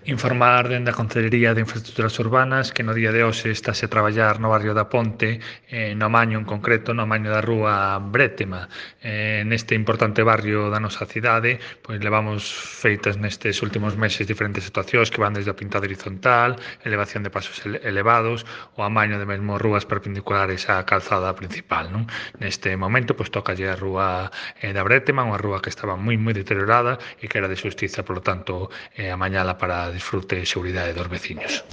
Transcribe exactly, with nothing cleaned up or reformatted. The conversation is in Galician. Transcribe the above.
Informar dende a Concellería de Infraestructuras Urbanas que no día de hoxe estáse a traballar no barrio da Ponte, eh, no Amaño en concreto, no Amaño da rúa Brétema. Eh, neste importante barrio da nosa cidade, pois levamos feitas nestes últimos meses diferentes actuacións que van desde a pintada horizontal, elevación de pasos ele elevados, o amaño de mesmo rúas perpendiculares á calzada principal. Non? Neste momento, pois tocalle a rúa eh, da Brétema, unha rúa que estaba moi moi deteriorada e que era de xustiza, polo tanto, eh, amañala para disfrute e seguridade dos veciños.